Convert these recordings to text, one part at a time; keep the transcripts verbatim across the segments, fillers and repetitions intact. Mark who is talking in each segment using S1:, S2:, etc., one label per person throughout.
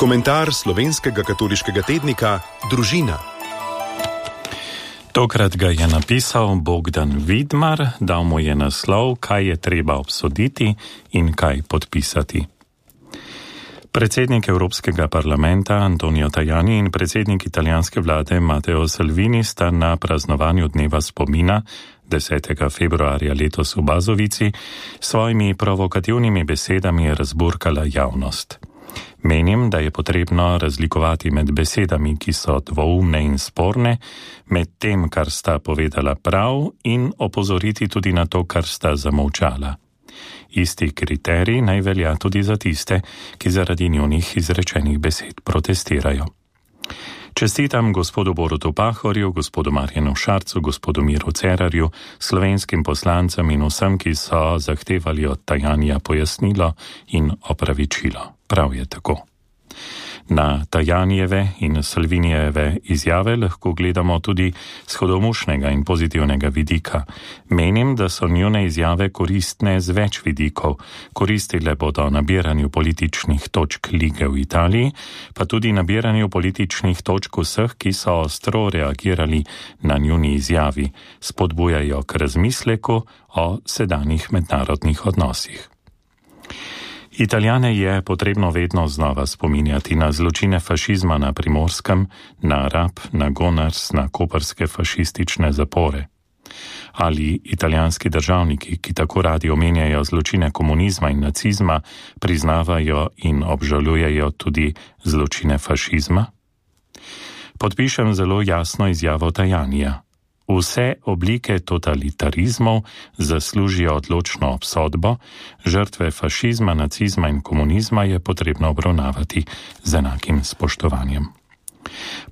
S1: Komentar slovenskega katoliškega tednika Družina.
S2: Tokrat ga je napisal Bogdan Vidmar, dal mu je naslov, kaj je treba obsoditi in kaj podpisati. Predsednik Evropskega parlamenta Antonio Tajani in predsednik italijanske vlade Matteo Salvini sta na praznovanju dneva spomina desetega februarja letos v Bazovici svojimi provokativnimi besedami razburkala javnost. Menim, da je potrebno razlikovati med besedami, ki so dvoumne in sporne, med tem, kar sta povedala prav, in opozoriti tudi na to, kar sta zamolčala. Isti kriterij naj velja tudi za tiste, ki zaradi njunih izrečenih besed protestirajo. Čestitam gospodu Borutu Pahorju, gospodu Marjanu Šarcu, gospodu Miru Cerarju, slovenskim poslancem in vsem, ki so zahtevali od Tajanija pojasnilo in opravičilo. Prav je tako. Na Tajanijeve in Salvinijeve izjave lahko gledamo tudi z hudomušnega in pozitivnega vidika. Menim, da so njune izjave koristne z več vidikov. Koristile bodo nabiranju političnih točk lige v Italiji, pa tudi nabiranju političnih točk vseh, ki so ostro reagirali na njuni izjavi, spodbujajo k razmisleku o sedanjih mednarodnih odnosih. Italijane je potrebno vedno znova spominjati na zločine fašizma na Primorskem, na Rab, na Gonars, na koprske fašistične zapore. Ali italijanski državniki, ki tako radi omenjajo zločine komunizma in nacizma, priznavajo in obžalujejo tudi zločine fašizma? Podpišem zelo jasno izjavo Tajanija. Vse oblike totalitarizmov zaslužijo odločno obsodbo, žrtve fašizma, nacizma in komunizma je potrebno obravnavati z enakim spoštovanjem.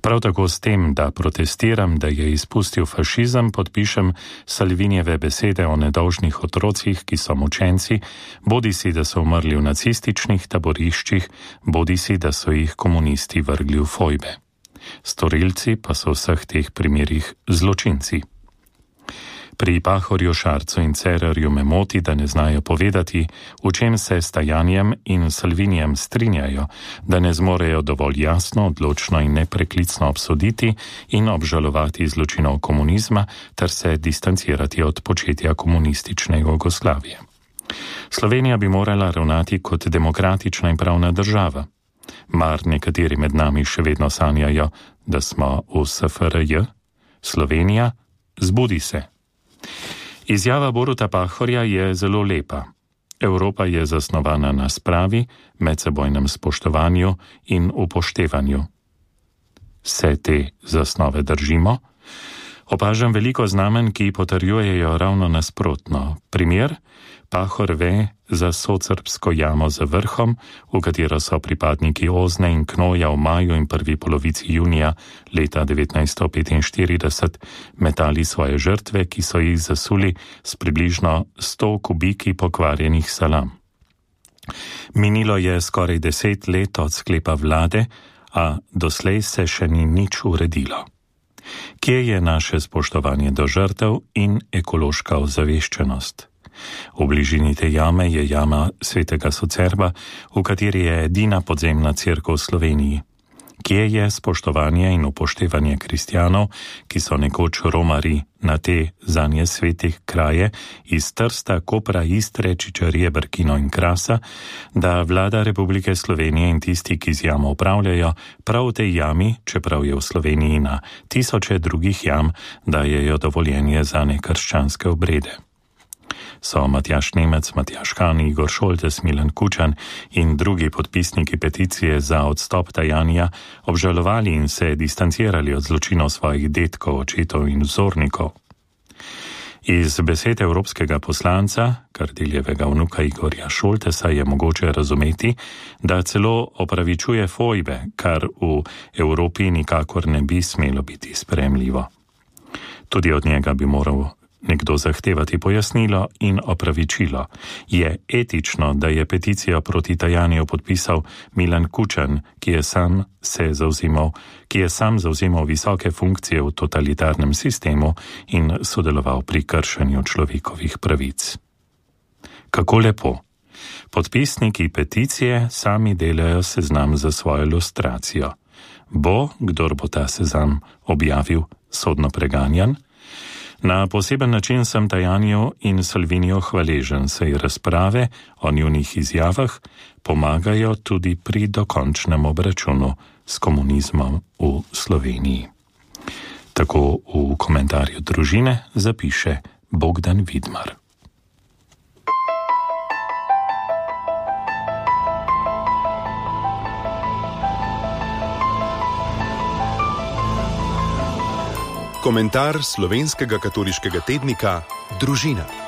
S2: Prav tako s tem, da protestiram, da je izpustil fašizem, podpišem Salvinijeve besede o nedolžnih otrocih, ki so mučenci, bodisi da so umrli v nacističnih taboriščih, bodisi da so jih komunisti vrgli v fojbe. Storilci pa so v vseh teh primerih zločinci. Pri Pahorju, Šarcu in Cerarju me moti, da ne znajo povedati, v čem se s Tajanjem in Salvinijem strinjajo, da ne zmorejo dovolj jasno, odločno in nepreklicno obsoditi in obžalovati zločinov komunizma ter se distancirati od početja komunistične Jugoslavije. Slovenija bi morala ravnati kot demokratična in pravna država. Mar nekateri med nami še vedno sanjajo, da smo v S F R J? Slovenija, zbudi se. Izjava Boruta Pahorja je zelo lepa. Evropa je zasnovana na spravi, medsebojnem spoštovanju in upoštevanju. Se te zasnove držimo? Opažam veliko znamen, ki potrjujejo ravno nasprotno. Primer, Pahor ve za socrbsko jamo za vrhom, v katero so pripadniki Ozne in Knoja v maju in prvi polovici junija leta devetnajststo petinštirideset metali svoje žrtve, ki so jih zasuli s približno sto kubiki pokvarjenih salam. Minilo je skoraj deset let od sklepa vlade, a doslej se še ni nič uredilo. Kje je naše spoštovanje do žrtev in ekološka ozaveščenost? V bližini te jame je jama svetega Socerba, v kateri je edina podzemna cerkev v Sloveniji. Kje je spoštovanje in upoštevanje kristjanov, ki so nekoč romari na te zanje svetih kraje iz Trsta, Kopra, Istre, Čičarije, Brkino in Krasa, da vlada Republike Slovenije in tisti, ki z jamo upravljajo, prav v tej jami, čeprav je v Sloveniji na tisoče drugih jam, dajejo dovoljenje za nekrščanske obrede. So Matjaž Nemec, Matjaž Han, Igor Šoltes, Milan Kučan in drugi podpisniki peticije za odstop Tajanija obžalovali in se distancirali od zločinov svojih dedkov, očetov in vzornikov. Iz besed evropskega poslanca, Kardeljevega vnuka Igorja Šoltesa, je mogoče razumeti, da celo opravičuje fojbe, kar v Evropi nikakor ne bi smelo biti sprejemljivo. Tudi od njega bi moral nekdo zahtevati pojasnilo in opravičilo. Je etično, da je peticijo proti Tajaniju podpisal Milan Kučan, ki je sam se zavzemal, ki je sam zavzemal visoke funkcije v totalitarnem sistemu in sodeloval pri kršenju človekovih pravic. Kako lepo. Podpisniki peticije sami delajo seznam za svojo ilustracijo. Bo, kdor bo ta seznam objavil, sodno preganjan? Na poseben način sem Tajaniju in Salviniju hvaležen, saj razprave o njunih izjavah pomagajo tudi pri dokončnem obračunu s komunizmom v Sloveniji. Tako v komentarju družine zapiše Bogdan Vidmar.
S1: Komentar slovenskega katoliškega tednika Družina.